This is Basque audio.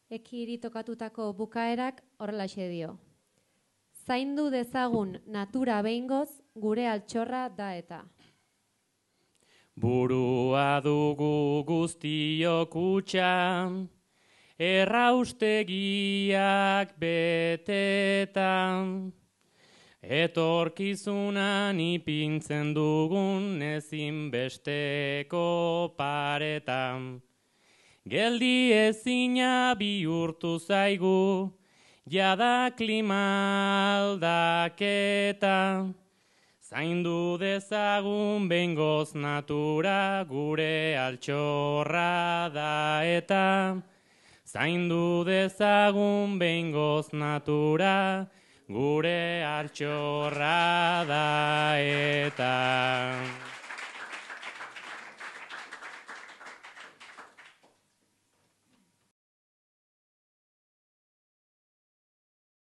Ekiri tokatutako bukaerak horrelaxe dio. Zaindu dezagun natura behingoz gure altxorra da eta. Burua dugu guztiok hutsa, erraustegiak betetan, etorkizunan ipintzen dugun ezinbesteko paretan. Geldi ezina bihurtu zaigu, jada klima aldaketa. Zaindu dezagun behingoz natura gure altxorra da eta. Zaindu dezagun behingoz natura gure altxorra da eta.